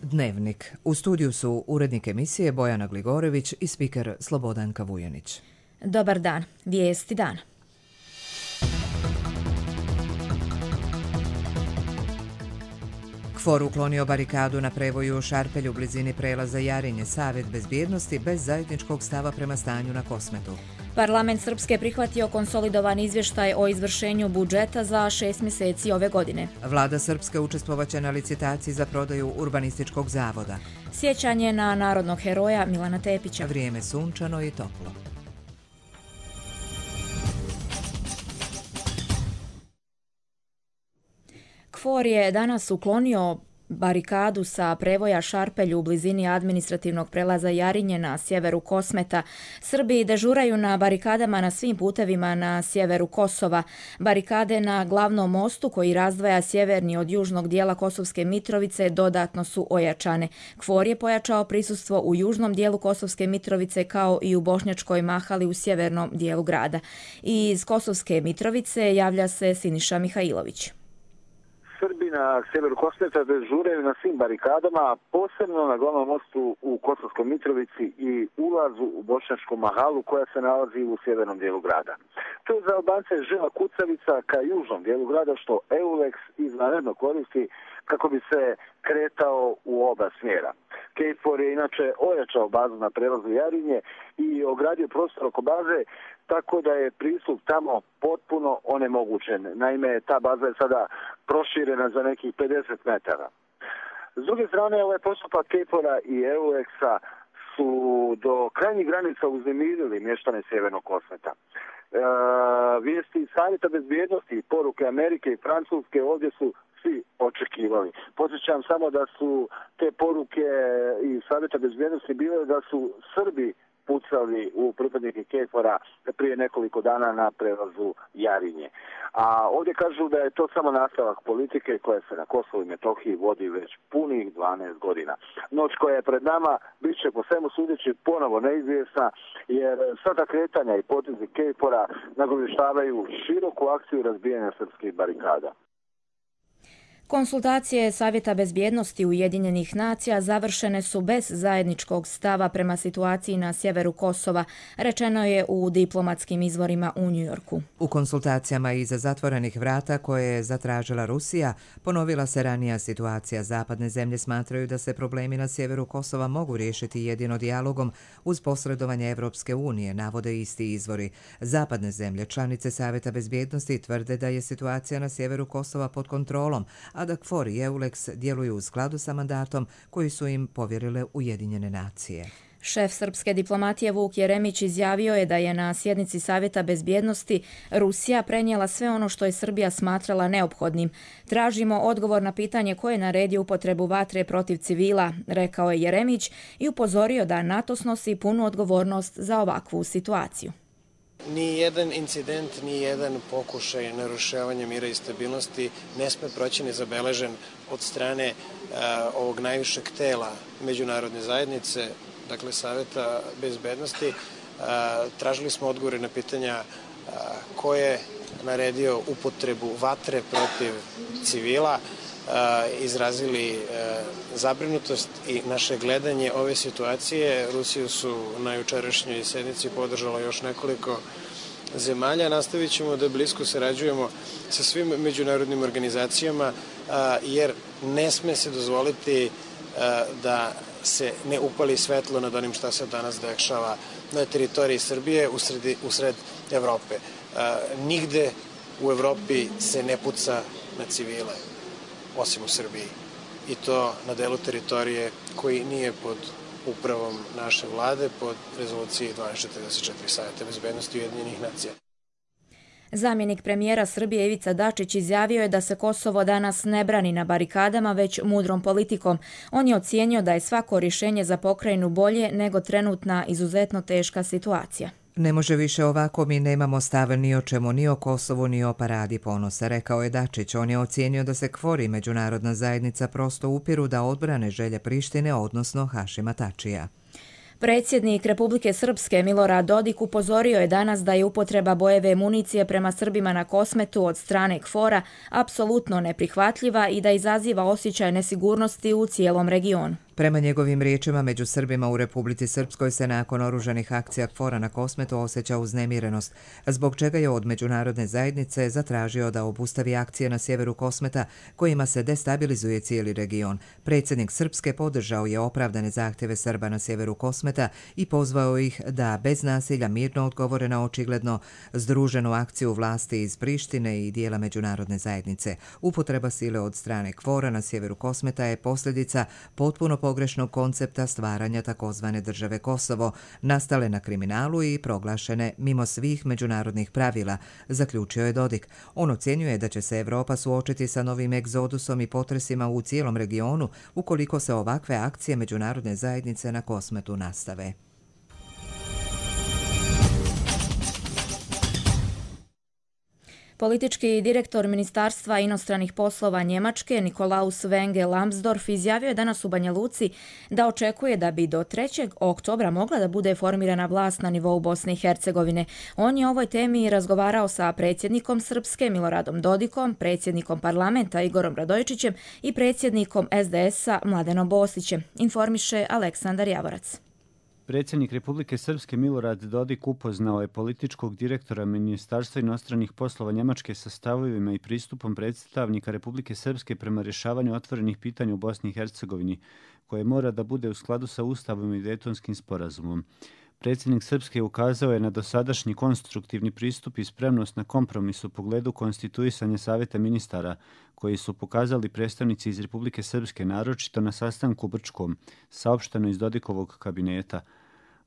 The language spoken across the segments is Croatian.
Dnevnik. U studiju su urednik emisije Bojana Gligorević i spiker Slobodanka Vujanić. Dobar dan. Vijesti dana. KFOR uklonio barikadu na prevoju u Šarpelju u blizini prelaza Jarinje. Savjet bezbjednosti bez zajedničkog stava prema stanju na Kosmetu. Parlament Srpske prihvatio konsolidovan izvještaj o izvršenju budžeta za 6 mjeseci ove godine. Vlada Srpske učestvovaće na licitaciji za prodaju urbanističkog zavoda. Sjećanje na narodnog heroja Milana Tepića. Vrijeme sunčano i toplo. KFOR je danas uklonio barikadu sa prevoja Šarpelju u blizini administrativnog prelaza Jarinje na sjeveru Kosmeta. Srbi dežuraju na barikadama na svim putevima na sjeveru Kosova. Barikade na glavnom mostu koji razdvaja sjeverni od južnog dijela Kosovske Mitrovice dodatno su ojačane. KFOR je pojačao prisustvo u južnom dijelu Kosovske Mitrovice kao i u Bošnjačkoj Mahali u sjevernom dijelu grada. Iz Kosovske Mitrovice javlja se Siniša Mihajlović. Srbi na sjeveru Kosmeta dežuraju na svim barikadama, posebno na glavnom mostu u Kosovskoj Mitrovici i ulazu u Bošnjačku Mahalu koja se nalazi u sjevernom dijelu grada. To je za Albance žila kucavica ka južnom dijelu grada što EULEX izvanredno koristi kako bi se kretao u oba smjera. KFOR je inače ojačao bazu na prelazu Jarinje i ogradio prostor oko baze tako da je pristup tamo potpuno onemogućen. Naime, ta baza je sada proširena za nekih 50 metara. S druge strane, ovaj postupak KFOR-a i EULEX-a su do krajnjih granica uznemirili mještane Sjevernog Kosmeta. Vijesti Savjeta bezbjednosti i poruke Amerike i Francuske ovdje su svi očekivali. Podsjećam samo da su te poruke i Savjeta bezbjednosti bile da su Srbi pucali u pripadnike KFOR-a prije nekoliko dana na prelazu Jarinje. A ovdje kažu da je to samo nastavak politike koja se na Kosovu i Metohiji vodi već punih 12 godina. Noć koja je pred nama bit će po svemu sudeći ponovo neizvjesna jer sva ta kretanja i potezi KFOR-a nagovještavaju široku akciju razbijanja srpskih barikada. Konsultacije Savjeta bezbjednosti Ujedinjenih nacija završene su bez zajedničkog stava prema situaciji na sjeveru Kosova, rečeno je u diplomatskim izvorima u Njujorku. U konsultacijama iza zatvorenih vrata koje je zatražila Rusija, ponovila se ranija situacija. Zapadne zemlje smatraju da se problemi na sjeveru Kosova mogu riješiti jedino dijalogom uz posredovanje Evropske unije, navode isti izvori. Zapadne zemlje, članice Savjeta bezbjednosti, tvrde da je situacija na sjeveru Kosova pod kontrolom, a da KFOR i EULEX djeluju u skladu sa mandatom koji su im povjerile Ujedinjene nacije. Šef srpske diplomatije Vuk Jeremić izjavio je da je na sjednici Savjeta bezbjednosti Rusija prenijela sve ono što je Srbija smatrala neophodnim. Tražimo odgovor na pitanje ko je naredio upotrebu vatre protiv civila, rekao je Jeremić i upozorio da NATO snosi punu odgovornost za ovakvu situaciju. Ni jedan incident, ni jedan pokušaj narušavanja mira i stabilnosti ne sme proći nezabeležen od strane ovog najvišeg tela međunarodne zajednice, dakle Savjeta bezbednosti. Tražili smo odgovore na pitanja ko je naredio upotrebu vatre protiv civila, izrazili zabrinutost i naše gledanje ove situacije. Rusiju su na jučerašnjoj sednici podržalo još nekoliko zemalja. Nastavit ćemo da blisko sarađujemo sa svim međunarodnim organizacijama jer ne sme se dozvoliti da se ne upali svetlo nad onim šta se danas dešava na teritoriji Srbije usred Evrope. Nigde u Evropi se ne puca na civile, osim u Srbiji. I to na delu teritorije koji nije pod upravom naše vlade, pod rezoluciji 1244 Savjeta bezbednosti Ujedinjenih nacija. Zamjenik premijera Srbije Ivica Dačić izjavio je da se Kosovo danas ne brani na barikadama, već mudrom politikom. On je ocijenio da je svako rješenje za pokrajinu bolje nego trenutna izuzetno teška situacija. Ne može više ovako, mi nemamo stav ni o čemu, ni o Kosovu, ni o paradi ponosa, rekao je Dačić. On je ocijenio da se KFOR i međunarodna zajednica prosto upiru da odbrane želje Prištine, odnosno Hašima Tačija. Predsjednik Republike Srpske Milorad Dodik upozorio je danas da je upotreba bojeve municije prema Srbima na Kosmetu od strane KFOR-a apsolutno neprihvatljiva i da izaziva osjećaj nesigurnosti u cijelom regionu. Prema njegovim riječima, među Srbima u Republici Srpskoj se nakon oružanih akcija KFOR-a na Kosmetu osjeća uznemirenost, zbog čega je od međunarodne zajednice zatražio da obustavi akcije na sjeveru Kosmeta kojima se destabilizuje cijeli region. Predsjednik Srpske podržao je opravdane zahtjeve Srba na sjeveru Kosmeta i pozvao ih da bez nasilja mirno odgovore na očigledno združenu akciju vlasti iz Prištine i dijela međunarodne zajednice. Upotreba sile od strane KFOR-a na sjeveru Kosmeta je posljedica potpuno pogrešnog koncepta stvaranja takozvane države Kosovo, nastale na kriminalu i proglašene mimo svih međunarodnih pravila, zaključio je Dodik. On ocjenjuje da će se Evropa suočiti sa novim egzodusom i potresima u cijelom regionu ukoliko se ovakve akcije međunarodne zajednice na Kosmetu nastave. Politički direktor Ministarstva inostranih poslova Njemačke Nikolaus Wenge Lambsdorff izjavio je danas u Banja Luci da očekuje da bi do 3. oktobra mogla da bude formirana vlast na nivou Bosne i Hercegovine. On je o ovoj temi razgovarao sa predsjednikom Srpske Miloradom Dodikom, predsjednikom parlamenta Igorom Radojičićem i predsjednikom SDS-a Mladenom Bosićem, informiše Aleksandar Javorac. Predsjednik Republike Srpske Milorad Dodik upoznao je političkog direktora Ministarstva inostranih poslova Njemačke sa stavovima i pristupom predstavnika Republike Srpske prema rješavanju otvorenih pitanja u Bosni i Hercegovini, koje mora da bude u skladu sa Ustavom i Dejtonskim sporazumom. Predsjednik Srpske ukazao je na dosadašnji konstruktivni pristup i spremnost na kompromis u pogledu konstituisanja Savjeta ministara, koji su pokazali predstavnici iz Republike Srpske, naročito na sastanku u Brčkom, saopšteno iz Dodikovog kabineta.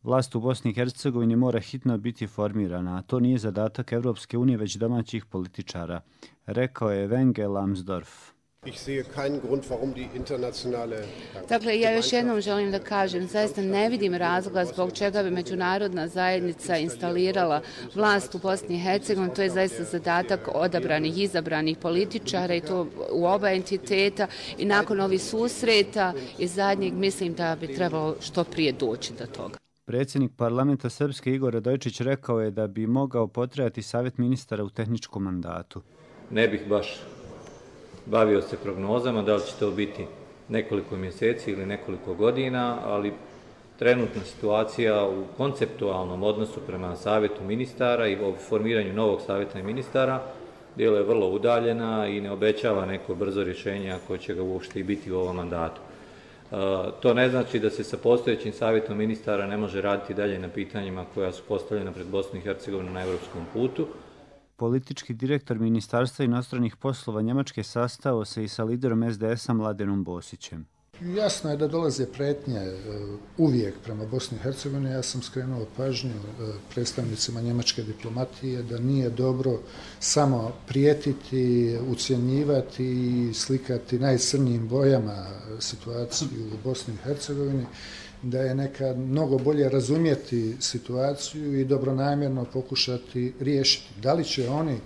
Vlast u Bosni i Hercegovini mora hitno biti formirana, a to nije zadatak Evropske unije, već domaćih političara, rekao je Wenge Lambsdorff. Dakle, ja još jednom želim da kažem, zaista ne vidim razloga zbog čega bi međunarodna zajednica instalirala vlast u Bosni i Hercegovini. To je zaista zadatak odabranih, izabranih političara i to u oba entiteta i nakon ovih susreta i zadnjeg mislim da bi trebalo što prije doći do toga. Predsjednik parlamenta Srpske Igor Radojičić rekao je da bi mogao potrajati savjet ministara u tehničkom mandatu. Ne bih baš bavio se prognozama, da li će to biti nekoliko mjeseci ili nekoliko godina, ali trenutna situacija u konceptualnom odnosu prema savjetu ministara i o formiranju novog savjeta ministara djeluje vrlo udaljena i ne obećava neko brzo rješenje ako će ga uopšte i biti u ovom mandatu. To ne znači da se sa postojećim savjetom ministara ne može raditi dalje na pitanjima koja su postavljena pred Bosnu i Hercegovinu na europskom putu. Politički direktor Ministarstva inostranih poslova Njemačke sastao se i sa liderom SDS-a Mladenom Bosićem. Jasno je da dolaze pretnje uvijek prema Bosni i Hercegovini. Ja sam skrenuo pažnju predstavnicima njemačke diplomatije da nije dobro samo prijetiti, ucjenjivati i slikati najcrnijim bojama situaciju u Bosni i Hercegovini, da je nekad mnogo bolje razumjeti situaciju i dobronamjerno pokušati riješiti. Da li će oni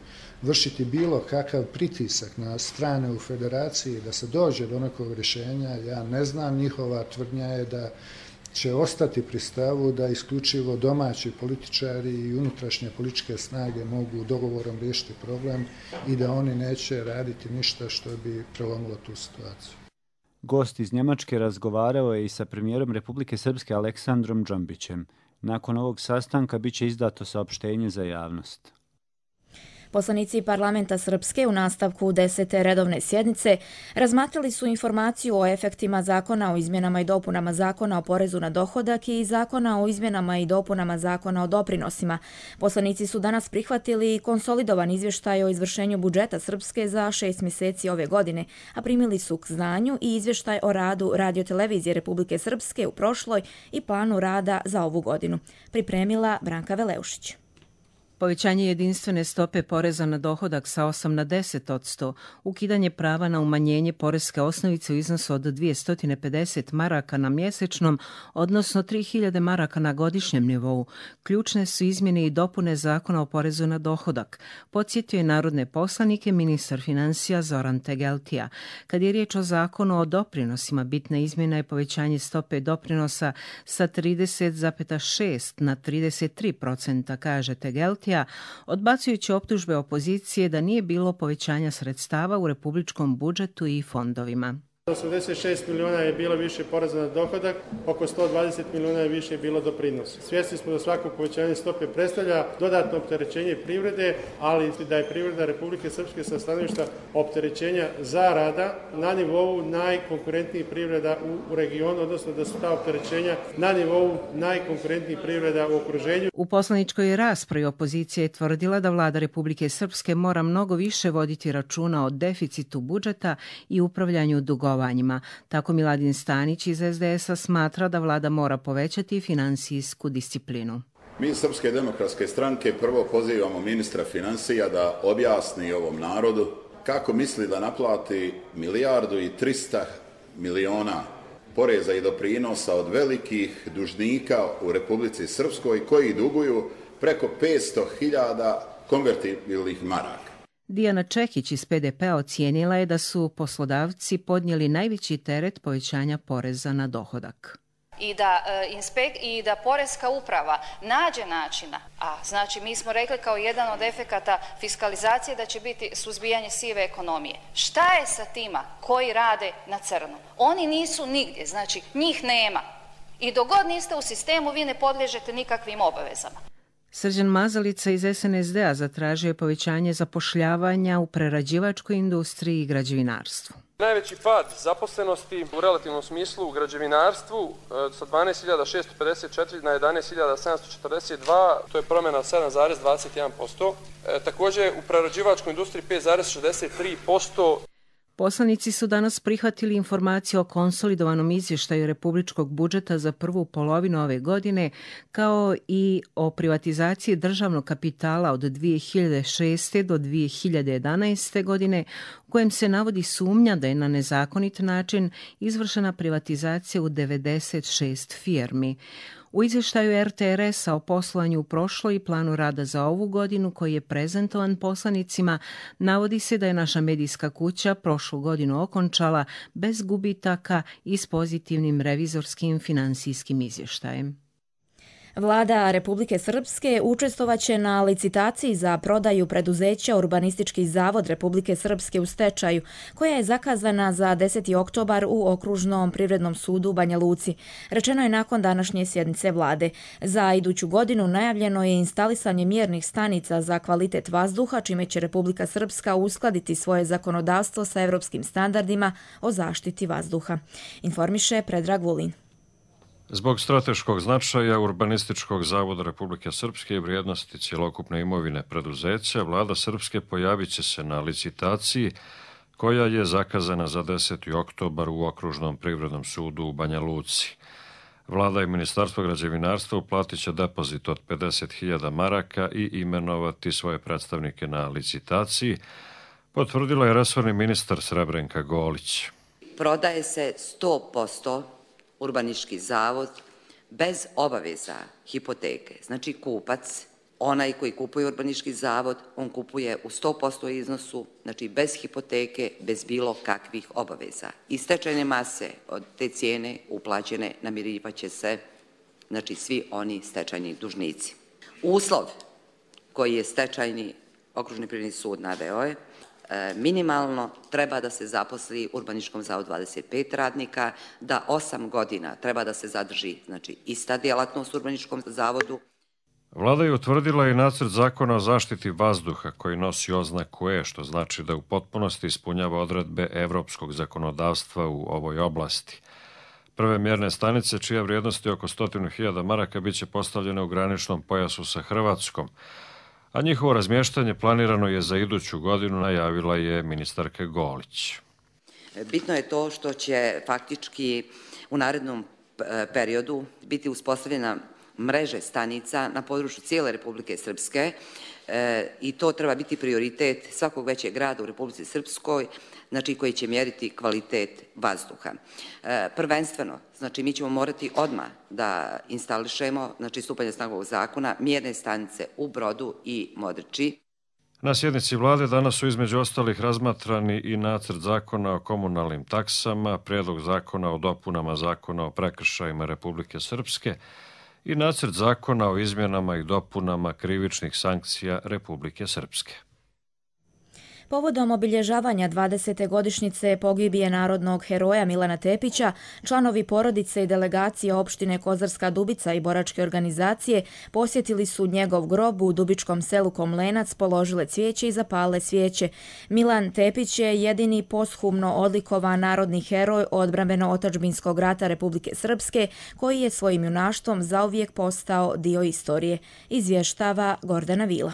vršiti bilo kakav pritisak na strane u federaciji da se dođe do nekog rješenja, ja ne znam. Njihova tvrdnja je da će ostati pri stavu da isključivo domaći političari i unutrašnje političke snage mogu dogovorom riješiti problem i da oni neće raditi ništa što bi prelomilo tu situaciju. Gost iz Njemačke razgovarao je i sa premijerom Republike Srpske Aleksandrom Džambićem. Nakon ovog sastanka biće izdato saopštenje za javnost. Poslanici parlamenta Srpske u nastavku 10. redovne sjednice razmatrali su informaciju o efektima zakona o izmjenama i dopunama zakona o porezu na dohodak i zakona o izmjenama i dopunama zakona o doprinosima. Poslanici su danas prihvatili konsolidovan izvještaj o izvršenju budžeta Srpske za 6 mjeseci ove godine, a primili su k znanju i izvještaj o radu Radiotelevizije Republike Srpske u prošloj i planu rada za ovu godinu. Pripremila Branka Veleušić. Povećanje jedinstvene stope poreza na dohodak sa 8 na 10%, ukidanje prava na umanjenje poreske osnovice u iznosu od 250 maraka na mjesečnom, odnosno 3000 maraka na godišnjem nivou, ključne su izmjene i dopune zakona o porezu na dohodak, podsjetio je narodne poslanike ministar financija Zoran Tegeltija. Kad je riječ o zakonu o doprinosima, bitna izmjena je povećanje stope doprinosa sa 30,6 na 33%, kaže Tegeltija, odbacujući optužbe opozicije da nije bilo povećanja sredstava u republičkom budžetu i fondovima. 86 milijuna je bilo više poreza na dohodak, oko 120 milijuna je više bilo doprinosa. Svjesni smo da svako povećanje stope predstavlja dodatno opterećenje privrede, ali da je privreda Republike Srpske sa stanovišta opterećenja zarada na nivou najkonkurentnijih privreda u regionu, odnosno da su ta opterećenja na nivou najkonkurentnijih privreda u okruženju. U poslaničkoj raspravi opozicija je tvrdila da vlada Republike Srpske mora mnogo više voditi računa o deficitu budžeta i upravljanju dugovanjima. Tako Miladin Stanić iz SDS-a smatra da vlada mora povećati finansijsku disciplinu. Mi iz Srpske demokratske stranke prvo pozivamo ministra financija da objasni ovom narodu kako misli da naplati 1,3 milijarde poreza i doprinosa od velikih dužnika u Republici Srpskoj koji duguju preko 500.000 konvertibilnih maraka. Dijana Čekić iz PDP-a ocijenila je da su poslodavci podnijeli najveći teret povećanja poreza na dohodak. I da poreska uprava nađe načina, a znači mi smo rekli kao jedan od efekata fiskalizacije da će biti suzbijanje sive ekonomije. Šta je sa tima koji rade na crno? Oni nisu nigdje, znači njih nema. I dok god niste u sistemu, vi ne podliježete nikakvim obavezama. Srđan Mazalica iz SNSD-a zatražio je povećanje zapošljavanja u prerađivačkoj industriji i građevinarstvu. Najveći pad zaposlenosti u relativnom smislu u građevinarstvu sa 12.654 na 11.742, to je promjena 7,21%. Također u prerađivačkoj industriji 5,63%. Poslanici su danas prihvatili informaciju o konsolidovanom izvještaju republičkog budžeta za prvu polovinu ove godine, kao i o privatizaciji državnog kapitala od 2006. do 2011. godine, u kojem se navodi sumnja da je na nezakonit način izvršena privatizacija u 96 firmi. U izvještaju RTRS-a o poslovanju u prošloj i planu rada za ovu godinu koji je prezentovan poslanicima, navodi se da je naša medijska kuća prošlu godinu okončala bez gubitaka i s pozitivnim revizorskim finansijskim izvještajem. Vlada Republike Srpske učestvovaće na licitaciji za prodaju preduzeća Urbanistički zavod Republike Srpske u stečaju, koja je zakazana za 10. oktobar u Okružnom privrednom sudu u Banja Luci. Rečeno je nakon današnje sjednice vlade. Za iduću godinu najavljeno je instalisanje mjernih stanica za kvalitet vazduha, čime će Republika Srpska uskladiti svoje zakonodavstvo sa evropskim standardima o zaštiti vazduha. Informiše Predrag Vulin. Zbog strateškog značaja Urbanističkog zavoda Republike Srpske i vrijednosti cjelokupne imovine preduzeća, vlada Srpske pojavit će se na licitaciji koja je zakazana za 10. oktobar u Okružnom privrednom sudu u Banja Luci. Vlada i Ministarstvo građevinarstva uplatit će depozit od 50.000 maraka i imenovati svoje predstavnike na licitaciji, potvrdila je resorni ministar Srebrenka Golić. Prodaje se 100% Urbanistički zavod bez obaveza hipoteke. Znači kupac, onaj koji kupuje Urbanistički zavod, on kupuje u 100% iznosu, znači bez hipoteke, bez bilo kakvih obaveza. I stečajne mase od te cijene uplaćene namirivaće se, znači svi oni stečajni dužnici. Uslov koji je stečajni Okružni privredni sud naveo je minimalno treba da se zaposli u Urbanističkom zavodu 25 radnika, da 8 godina treba da se zadrži, znači, ista djelatnost u Urbanističkom zavodu. Vlada je utvrdila i nacrt zakona o zaštiti vazduha koji nosi oznaku E, što znači da u potpunosti ispunjava odredbe evropskog zakonodavstva u ovoj oblasti. Prve mjerne stanice, čija vrijednost je oko 100.000 maraka, bit će postavljene u graničnom pojasu sa Hrvatskom, a njihovo razmještanje planirano je za iduću godinu, najavila je ministarka Golić. Bitno je to što će faktički u narednom periodu biti uspostavljena mreže stanica na području cijele Republike Srpske i to treba biti prioritet svakog većeg grada u Republici Srpskoj, znači koji će mjeriti kvalitet vazduha. Prvenstveno, znači mi ćemo morati odmah da instališemo, znači stupanje snage ovog zakona, mjerne stanice u Brodu i Modriči. Na sjednici vlade danas su između ostalih razmatrani i nacrt zakona o komunalnim taksama, prijedlog zakona o dopunama zakona o prekršajima Republike Srpske i nacrt zakona o izmjenama i dopunama krivičnih sankcija Republike Srpske. Povodom obilježavanja 20. godišnjice pogibije narodnog heroja Milana Tepića, članovi porodice i delegacije opštine Kozarska Dubica i boračke organizacije posjetili su njegov grob u Dubičkom selu Komlenac, položile cvijeće i zapale svijeće. Milan Tepić je jedini posthumno odlikovan narodni heroj odbrambeno-otadžbinskog rata Republike Srpske, koji je svojim junaštvom zauvijek postao dio istorije, izvještava Gordana Vila.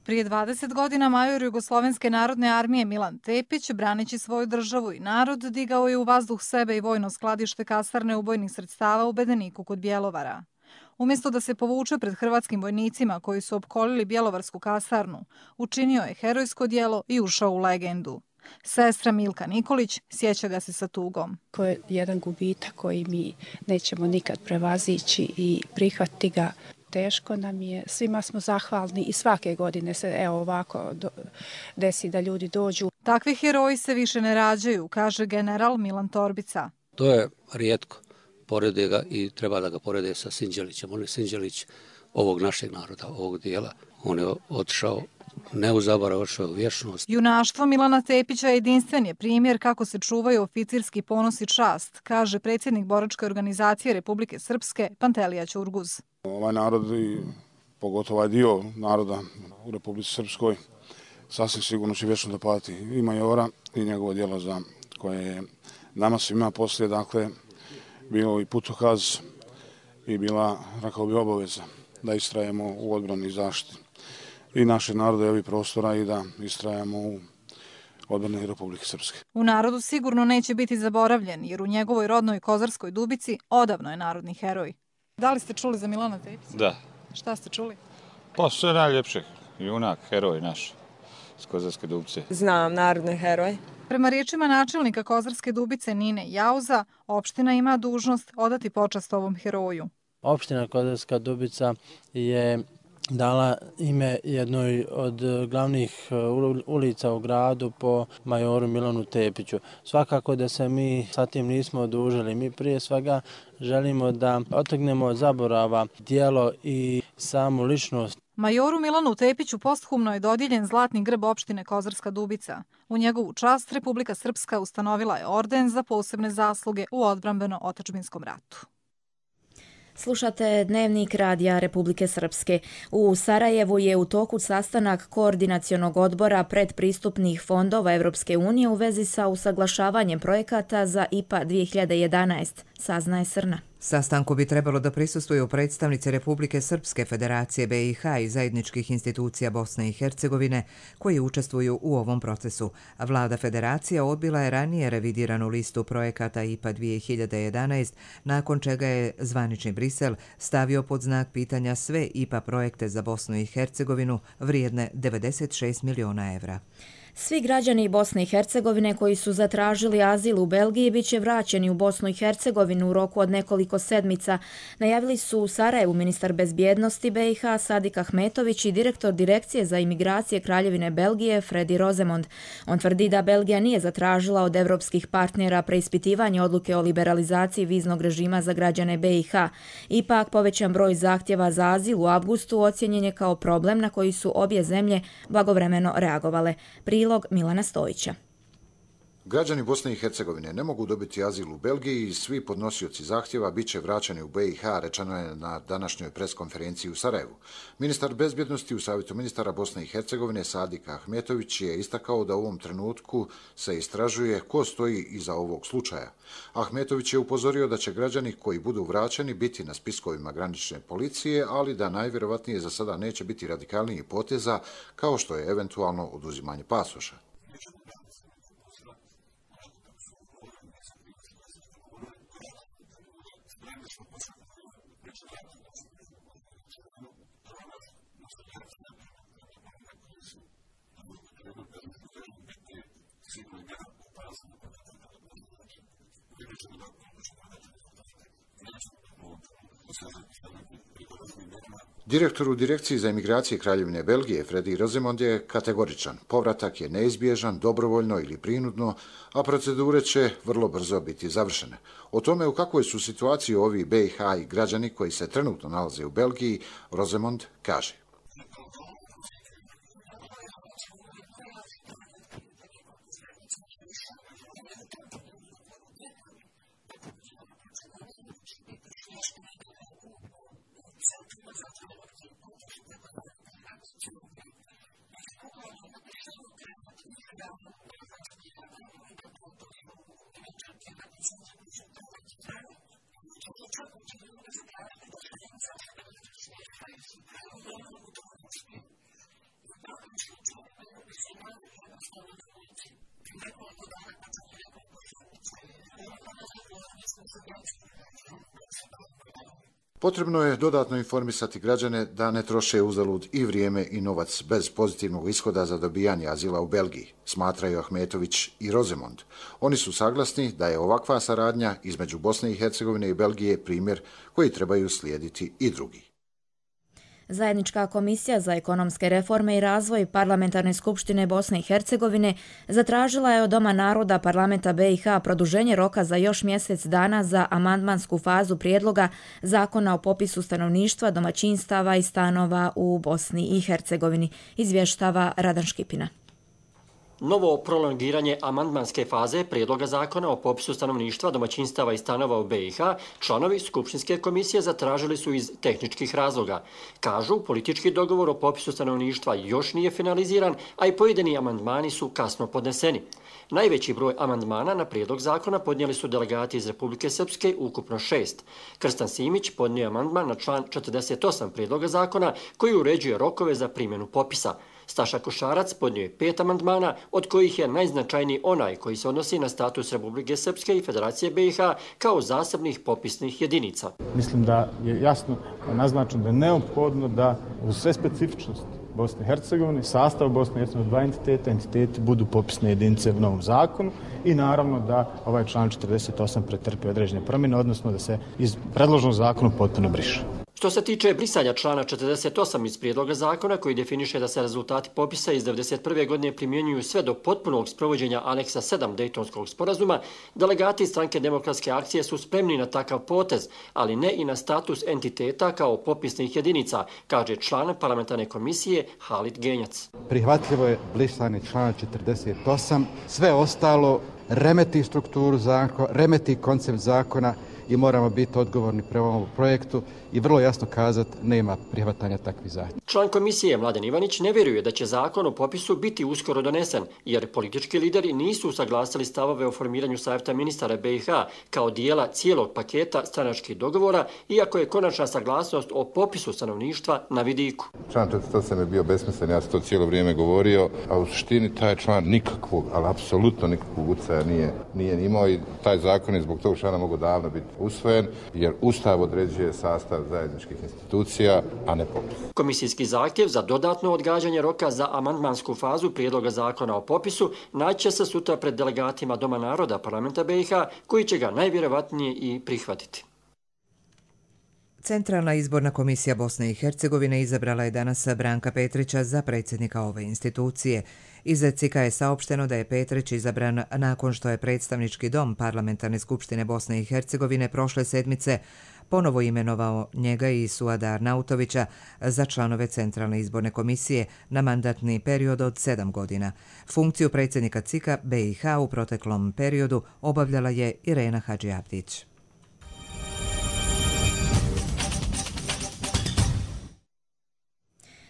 Prije 20 godina major Jugoslovenske narodne armije Milan Tepić, braneći svoju državu i narod, digao je u vazduh sebe i vojno skladište kasarne ubojnih sredstava u Bedeniku kod Bjelovara. Umjesto da se povuče pred hrvatskim vojnicima koji su opkolili Bjelovarsku kasarnu, učinio je herojsko djelo i ušao u legendu. Sestra Milka Nikolić sjeća ga se sa tugom. To je jedan gubitak koji mi nećemo nikad prevazići i prihvatiti ga. Teško nam je, svima smo zahvalni i svake godine se ovako desi da ljudi dođu. Takvi heroji se više ne rađaju, kaže general Milan Torbica. To je rijetko, porede ga i treba da ga porede sa Sinđelićem. On je Sinđelić ovog našeg naroda, ovog dijela. On je otišao ne u zaborav, otišao u vječnost. Junaštvo Milana Tepića jedinstven je primjer kako se čuvaju oficirski ponos i čast, kaže predsjednik boračke organizacije Republike Srpske Pantelija Ćurguz. Ovaj narod i pogotovo ovaj dio naroda u Republici Srpskoj sasvim sigurno će vječno da pati i majora i njegovo djelo za koje je nama svima poslije, dakle, bio i putokaz i bila, rekao bi, obaveza da istrajemo u odbrani i zaštiti i našeg naroda i ovih prostora i da istrajemo u odbrani Republike Srpske. U narodu sigurno neće biti zaboravljen, jer u njegovoj rodnoj Kozarskoj Dubici odavno je narodni heroj. Da li ste čuli za Milana Tepića? Da. Šta ste čuli? Pa sve najljepše. Junak, heroj naš iz Kozarske Dubice. Znam, narodni heroj. Prema riječima načelnika Kozarske Dubice Nine Jauza, opština ima dužnost odati počast ovom heroju. Opština Kozarska Dubica je dala ime jednoj od glavnih ulica u gradu po majoru Milanu Tepiću. Svakako da se mi sa tim nismo odužili. Mi prije svega želimo da otrgnemo od zaborava djelo i samu ličnost. Majoru Milanu Tepiću posthumno je dodijeljen zlatni grb opštine Kozarska Dubica. U njegovu čast Republika Srpska ustanovila je orden za posebne zasluge u odbrambeno-otadžbinskom ratu. Slušate Dnevnik radija Republike Srpske. U Sarajevu je u toku sastanak koordinacionog odbora predpristupnih fondova Evropske unije u vezi sa usaglašavanjem projekata za IPA 2011, saznaje Srna. Sastanku bi trebalo da prisustvuju predstavnici Republike Srpske, Federacije BiH i zajedničkih institucija Bosne i Hercegovine koji učestvuju u ovom procesu. Vlada Federacija odbila je ranije revidiranu listu projekata IPA 2011, nakon čega je zvanični Brisel stavio pod znak pitanja sve IPA projekte za Bosnu i Hercegovinu vrijedne 96 miliona evra. Svi građani Bosne i Hercegovine koji su zatražili azil u Belgiji biće vraćeni u Bosnu i Hercegovinu u roku od nekoliko sedmica, najavili su u Sarajevu ministar bezbjednosti BiH Sadik Ahmetović i direktor Direkcije za imigracije Kraljevine Belgije Fredi Rozemond. On tvrdi da Belgija nije zatražila od evropskih partnera preispitivanje odluke o liberalizaciji viznog režima za građane BiH. Ipak, povećan broj zahtjeva za azil u avgustu ocjenjen je kao problem na koji su obje zemlje blagovremeno reagovale. Prilog Milana Stojića. Građani Bosne i Hercegovine ne mogu dobiti azil u Belgiji i svi podnosioci zahtjeva bit će vraćani u BiH, rečeno je na današnjoj preskonferenciji u Sarajevu. Ministar bezbjednosti u Savjetu ministara Bosne i Hercegovine Sadik Ahmetović je istakao da u ovom trenutku se istražuje ko stoji iza ovog slučaja. Ahmetović je upozorio da će građani koji budu vraćeni biti na spiskovima granične policije, ali da najvjerovatnije za sada neće biti radikalnijih poteza kao što je eventualno oduzimanje pasoša. Direktor u Direkciji za imigracije Kraljevine Belgije, Fredi Rosemond, je kategoričan. Povratak je neizbježan, dobrovoljno ili prinudno, a procedure će vrlo brzo biti završene. O tome u kakvoj su situaciji ovi BiH i građani koji se trenutno nalaze u Belgiji, Rosemond kaže. Potrebno je dodatno informisati građane da ne troše uzalud i vrijeme i novac bez pozitivnog ishoda za dobijanje azila u Belgiji, smatraju Ahmetović i Rosemond. Oni su saglasni da je ovakva saradnja između Bosne i Hercegovine i Belgije primjer koji trebaju slijediti i drugi. Zajednička komisija za ekonomske reforme i razvoj Parlamentarne skupštine Bosne i Hercegovine zatražila je od Doma naroda Parlamenta BiH produženje roka za još mjesec dana za amandmansku fazu prijedloga Zakona o popisu stanovništva, domaćinstava i stanova u Bosni i Hercegovini, izvještava Radan Škipina. Novo prolongiranje amandmanske faze prijedloga zakona o popisu stanovništva, domaćinstava i stanova u BiH članovi Skupštinske komisije zatražili su iz tehničkih razloga. Kažu, politički dogovor o popisu stanovništva još nije finaliziran, a i pojedini amandmani su kasno podneseni. Najveći broj amandmana na prijedlog zakona podnijeli su delegati iz Republike Srpske, ukupno 6. Krstan Simić podnio amandman na član 48 prijedloga zakona koji uređuje rokove za primjenu popisa. Staša Košarac podnio je 5 amandmana, od kojih je najznačajniji onaj koji se odnosi na status Republike Srpske i Federacije BiH kao zasebnih popisnih jedinica. Mislim da je jasno naznačeno da je neophodno da uz sve specifičnosti Bosne i Hercegovine, sastav Bosne i Hercegovine, dva entiteti budu popisne jedinice u novom zakonu i naravno da ovaj član 48 pretrpi određene promjene, odnosno da se iz predloženog zakona potpuno briše. Što se tiče brisanja člana 48 iz prijedloga zakona koji definiše da se rezultati popisa iz 1991. godine primjenjuju sve do potpunog sprovođenja aneksa 7 Dejtonskog sporazuma, delegati stranke Demokratske akcije su spremni na takav potez, ali ne i na status entiteta kao popisnih jedinica, kaže član parlamentarne komisije Halid Genjac. Prihvatljivo je brisanje člana 48, sve ostalo remeti strukturu zakona, remeti koncept zakona i moramo biti odgovorni prema ovom projektu i vrlo jasno kazati nema prihvatanja takvih zahtjeva. Član komisije Mladen Ivanić ne vjeruje da će zakon o popisu biti uskoro donesen, jer politički lideri nisu usaglasili stavove o formiranju savjeta ministara BiH kao dijela cijelog paketa stranačkih dogovora, iako je konačna saglasnost o popisu stanovništva na vidiku. Član 48 je bio besmislen, ja sam to cijelo vrijeme govorio, a u suštini taj član nikakvog, ali apsolutno nikakvog utjecaja nije imao i taj zakon je zbog tog člana mogao davno biti usvojen, jer Ustav određuje sastav zajedničkih institucija, a ne popis. Komisijski zahtjev za dodatno odgađanje roka za amandmansku fazu prijedloga zakona o popisu naći se sutra pred delegatima Doma naroda Parlamenta BiH, koji će ga najvjerojatnije i prihvatiti. Centralna izborna komisija Bosne i Hercegovine izabrala je danas Branka Petrića za predsjednika ove institucije. Iz CIK-a je saopšteno da je Petrić izabran nakon što je predstavnički dom Parlamentarne skupštine Bosne i Hercegovine prošle sedmice ponovo imenovao njega i Suada Arnautovića za članove Centralne izborne komisije na mandatni period od 7 godina. Funkciju predsjednika CIK-a BiH u proteklom periodu obavljala je Irena Hadžiabdić.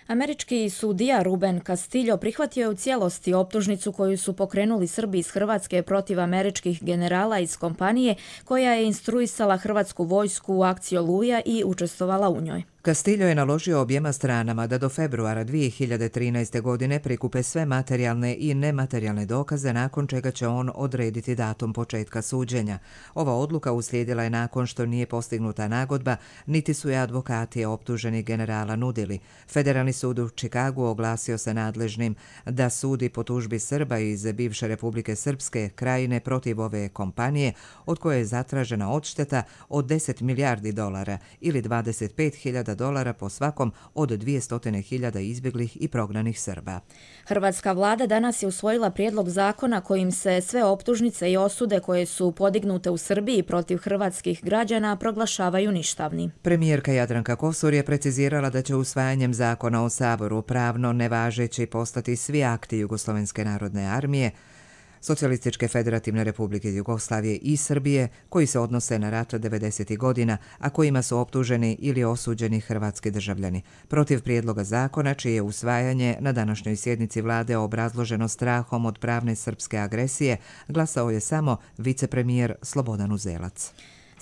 Američki sudija Ruben Castillo prihvatio je u cijelosti optužnicu koju su pokrenuli Srbi iz Hrvatske protiv američkih generala iz kompanije koja je instruisala hrvatsku vojsku u akciji Oluja i učestvovala u njoj. Castillo je naložio objema stranama da do februara 2013. godine prikupe sve materijalne i nematerijalne dokaze, nakon čega će on odrediti datum početka suđenja. Ova odluka uslijedila je nakon što nije postignuta nagodba, niti su je advokati optuženih generala nudili. Federalni sud u Čikagu oglasio se nadležnim da sudi po tužbi Srba iz bivše Republike Srpske krajine protiv ove kompanije, od koje je zatražena odšteta od $10 milijardi ili $25.000 po svakom od 200.000 izbjeglih i prognanih Srba. Hrvatska vlada danas je usvojila prijedlog zakona kojim se sve optužnice i osude koje su podignute u Srbiji protiv hrvatskih građana proglašavaju ništavni. Premijerka Jadranka Kosor je precizirala da će usvajanjem zakona o Saboru pravno nevažeći postati svi akti Jugoslovenske narodne armije, Socijalističke federativne republike Jugoslavije i Srbije koji se odnose na rat 90. godina, a kojima su optuženi ili osuđeni hrvatski državljani. Protiv prijedloga zakona, čije je usvajanje na današnjoj sjednici vlade obrazloženo strahom od pravne srpske agresije, glasao je samo vicepremijer Slobodan Uzelac.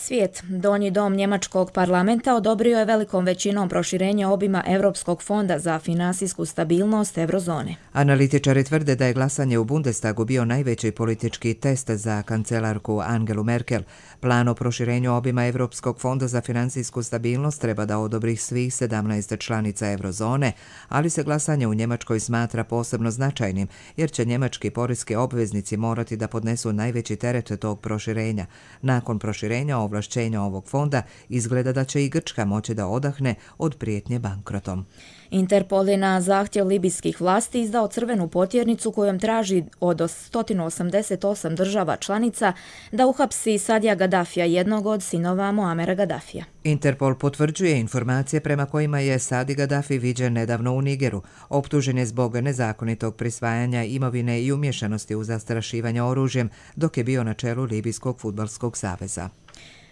Svijet, donji dom njemačkog parlamenta, odobrio je velikom većinom proširenje obima Europskog fonda za finansijsku stabilnost eurozone. Analitičari tvrde da je glasanje u Bundestagu bio najveći politički test za kancelarku Angelu Merkel. Plan o proširenju obima Europskog fonda za finansijsku stabilnost treba da odobri svih 17 članica eurozone, ali se glasanje u Njemačkoj smatra posebno značajnim, jer će njemački poreski obveznici morati da podnesu najveći teret tog proširenja. Nakon proširenja ovlašćenja ovog fonda izgleda da će i Grčka moći da odahne od prijetnje bankrotom. Interpol je na zahtjev libijskih vlasti izdao crvenu potjernicu kojom traži od 188 država članica da uhapsi Sadija Gaddafija, jednog od sinova Muamera Gaddafija. Interpol potvrđuje informacije prema kojima je Sadi Gaddafi viđen nedavno u Nigeru. Optužen je zbog nezakonitog prisvajanja imovine i umješanosti u zastrašivanje oružjem dok je bio na čelu Libijskog fudbalskog saveza.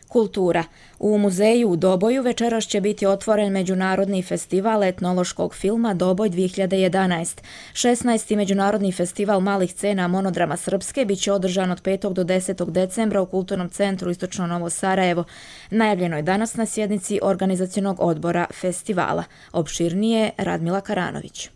Kultura. U muzeju u Doboju večeras će biti otvoren Međunarodni festival etnološkog filma Doboj 2011. 16. Međunarodni festival malih scena monodrama Srpske bit će održan od 5. do 10. decembra u Kulturnom centru Istočno Novo Sarajevo. Najavljeno je danas na sjednici organizacionog odbora festivala. Opširnije Radmila Karanović.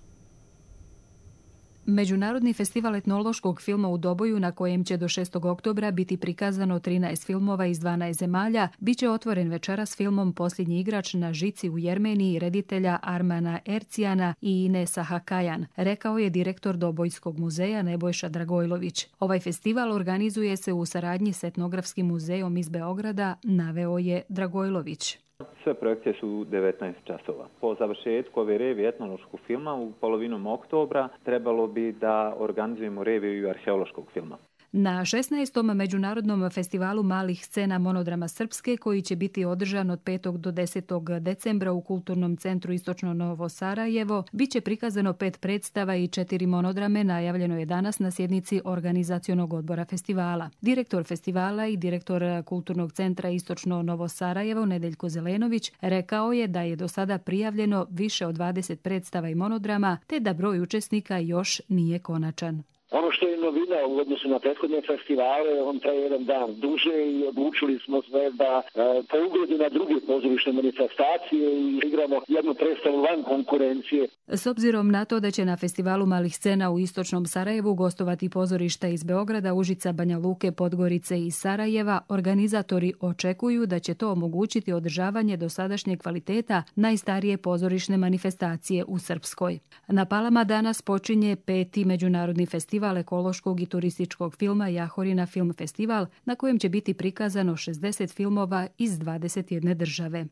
Međunarodni festival etnološkog filma u Doboju, na kojem će do 6. oktobra biti prikazano 13 filmova iz 12 zemalja, bit će otvoren večeras filmom Posljednji igrač na žici u Jermeniji reditelja Armana Ercijana i Inesa Hakajan, rekao je direktor Dobojskog muzeja Nebojša Dragojlović. Ovaj festival organizuje se u saradnji s Etnografskim muzejom iz Beograda, naveo je Dragojlović. Sve projekcije su 19 časova. Po završetku ove revije etnološkog filma u polovinom oktobra trebalo bi da organizujemo reviju arheološkog filma. Na 16. Međunarodnom festivalu malih scena monodrama Srpske, koji će biti održan od 5. do 10. decembra u Kulturnom centru Istočno Novo Sarajevo, bit će prikazano 5 predstava i 4 monodrame, najavljeno je danas na sjednici organizacionog odbora festivala. Direktor festivala i direktor Kulturnog centra Istočno Novo Sarajevo, Nedeljko Zelenović, rekao je da je do sada prijavljeno više od 20 predstava i monodrama, te da broj učesnika još nije konačan. Ono što je novina u odnosu na prethodne festivale, on traje jedan dan duže i odlučili smo sve da po ugledu na druge pozorišne manifestacije i igramo jednu predstavu van konkurencije. S obzirom na to da će na festivalu malih scena u Istočnom Sarajevu gostovati pozorišta iz Beograda, Užica, Banja Luke, Podgorice i Sarajeva, organizatori očekuju da će to omogućiti održavanje dosadašnjeg kvaliteta najstarije pozorišne manifestacije u Srpskoj. Na Palama danas počinje 5. Međunarodni festival ekološkog i turističkog filma Jahorina Film Festival, na kojem će biti prikazano 60 filmova iz 21 države.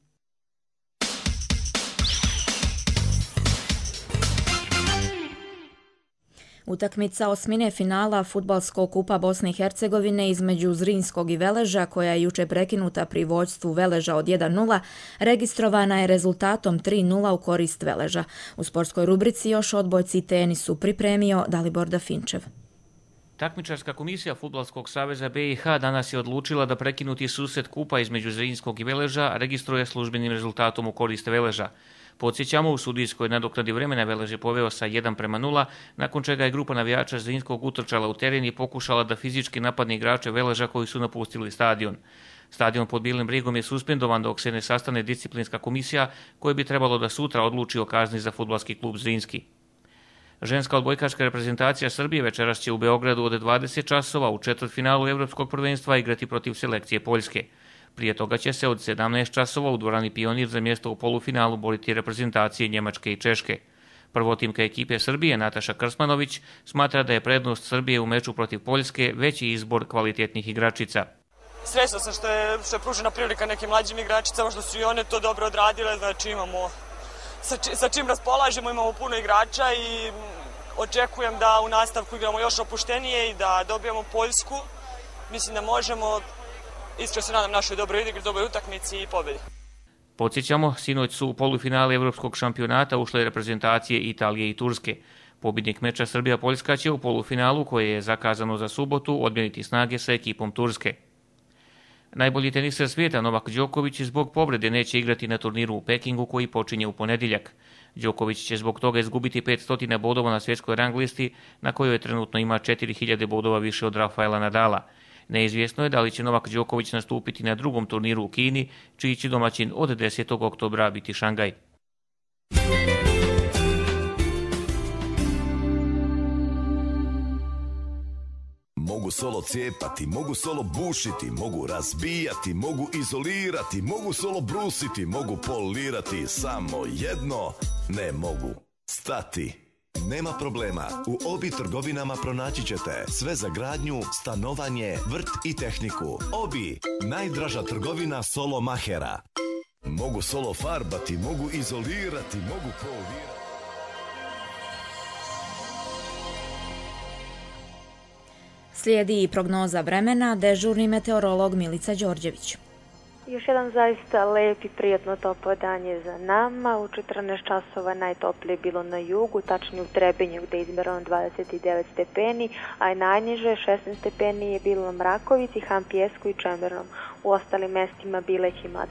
Utakmica osmine finala fudbalskog kupa Bosne i Hercegovine između Zrinskog i Veleža, koja je juče prekinuta pri vođstvu Veleža od 1:0, registrovana je rezultatom 3:0 u korist Veleža. U sportskoj rubrici još odbojci tenisu pripremio Dalibor Dafinčev. Takmičarska komisija Fudbalskog saveza BiH danas je odlučila da prekinuti susret kupa između Zrinskog i Veleža registruje službenim rezultatom u korist Veleža. Podsjećamo, u sudijskoj nadoknadi vremena Velež je poveo sa 1:0, nakon čega je grupa navijača Zrinskog utrčala u teren i pokušala da fizički napadne igrače Veleža koji su napustili stadion. Stadion pod Bijelim brigom je suspendovan dok se ne sastane disciplinska komisija koja bi trebalo da sutra odluči o kazni za fudbalski klub Zrinski. Ženska odbojkaška reprezentacija Srbije večeras će u Beogradu od 20 časova u četvrtfinalu Evropskog prvenstva igrati protiv selekcije Poljske. Prije toga će se od 17 časova u dvorani Pionir za mjesto u polufinalu boriti reprezentacije Njemačke i Češke. Prvotimka ekipe Srbije Nataša Krsmanović smatra da je prednost Srbije u meču protiv Poljske veći izbor kvalitetnih igračica. Srećna sam što je pružena prilika nekim mlađim igračicama, što su i one to dobro odradile, znači imamo sa čim raspolažemo, imamo puno igrača i očekujem da u nastavku igramo još opuštenije i da dobijemo Poljsku. Mislim da možemo, iskreno se nadam našoj dobroj igri, dobroj utakmici i pobjedi. Podsjećamo, sinoć su u polufinale Evropskog šampionata ušle reprezentacije Italije i Turske. Pobjednik meča Srbija-Poljska će u polufinalu, koje je zakazano za subotu, odmjeriti snage sa ekipom Turske. Najbolji teniser svijeta Novak Đoković zbog povrede neće igrati na turniru u Pekingu koji počinje u ponedjeljak. Đoković će zbog toga izgubiti 500 bodova na svjetskoj rang listi, na kojoj trenutno ima 4000 bodova više od Rafaela Nadala. Neizvjesno je da li će Novak Đoković nastupiti na drugom turniru u Kini, čiji će domaćin od 10. oktobra biti Šangaj. Mogu solo cijepati, mogu solo bušiti, mogu razbijati, mogu izolirati, mogu solo brusiti, mogu polirati, samo jedno ne mogu stati. Nema problema, u Obi trgovinama pronaći ćete sve za gradnju, stanovanje, vrt i tehniku. Obi, najdraža trgovina solo mahera. Mogu solo farbati, mogu izolirati, mogu polirati. Slijedi i prognoza vremena, dežurni meteorolog Milica Đorđević. Još jedan zaista lep i prijatno toplo dan je za nama. U 14 časova najtoplije je bilo na jugu, tačnije u Trebinju gdje je izmjereno 29 stepeni, a i najniže 16 stepeni je bilo na Mrakovici, Hampijesku i Čemernom. U ostalim mestima Bileć ima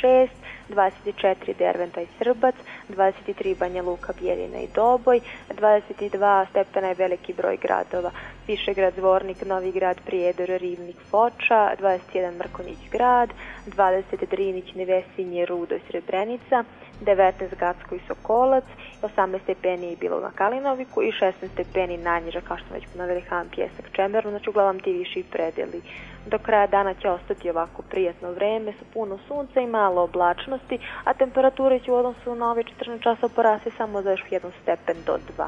26, 24 Derventa i Srbac, 23 Banja Luka, Bijeljina i Doboj, 22 stepena je veliki broj gradova, Višegrad, Zvornik, Novi Grad, Prijedor, Rivnik, Foča, 21 Mrkonjić grad, 20 Drinić, Nevesinje, Rudo i Srebrenica, 19 Gacko i Sokolac, 18 stepeni je bilo na Kalinoviku i 16 stepeni najniže, kao što već ponovili, Han, Pjesak, Čemerno, znači uglavnom ti viši predeli. Do kraja dana će ostati ovako prijatno vreme sa puno sunca i malo oblačnosti, a temperature će u odnosu na ove 14 časa porasti samo za još 1 stepen do 2.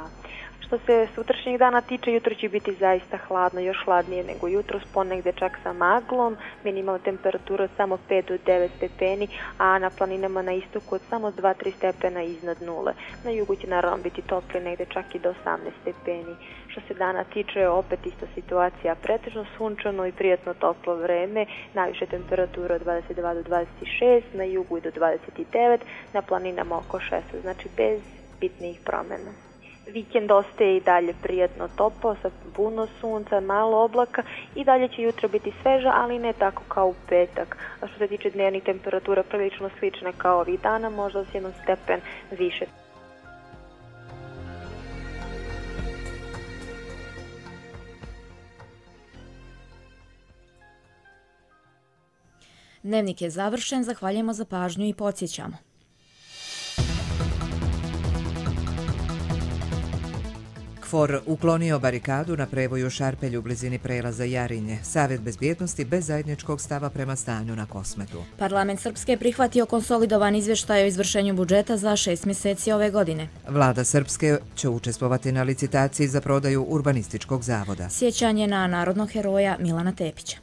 Što se sutrašnjeg dana tiče, jutro će biti zaista hladno, još hladnije nego jutros, ponegde čak sa maglom, minimalna temperatura od samo 5 do 9 stepeni, a na planinama na istoku od samo 2-3 stepena iznad nule. Na jugu će naravno biti toplije, negde čak i do 18 stepeni. Što se dana tiče, opet ista situacija, pretežno sunčano i prijatno toplo vreme, najviše temperatura od 22 do 26, na jugu i do 29, na planinama oko 6, znači bez bitnijih promjena. Vikend ostaje i dalje prijatno toplo, sa puno sunca, malo oblaka i dalje će jutro biti sveža, ali ne tako kao u petak. A što se tiče dnevnih temperatura, prilično slične kao ovih dana, možda s 1 stepen više. Dnevnik je završen, zahvaljujemo za pažnju i podsjećamo. KFOR uklonio barikadu na prevoju Šarpelj u blizini prelaza Jarinje. Savjet bezbjednosti bez zajedničkog stava prema stanju na Kosmetu. Parlament Srpske je prihvatio konsolidovan izvještaj o izvršenju budžeta za 6 mjeseci ove godine. Vlada Srpske će učestvovati na licitaciji za prodaju Urbanističkog zavoda. Sjećanje na narodnog heroja Milana Tepića.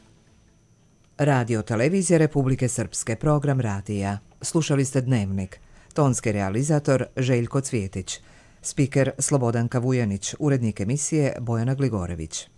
Radio Televizije Republike Srpske, program radija. Slušali ste Dnevnik. Tonski realizator Željko Cvjetić. Spiker Slobodanka Vujanić, urednik emisije Bojana Gligorević.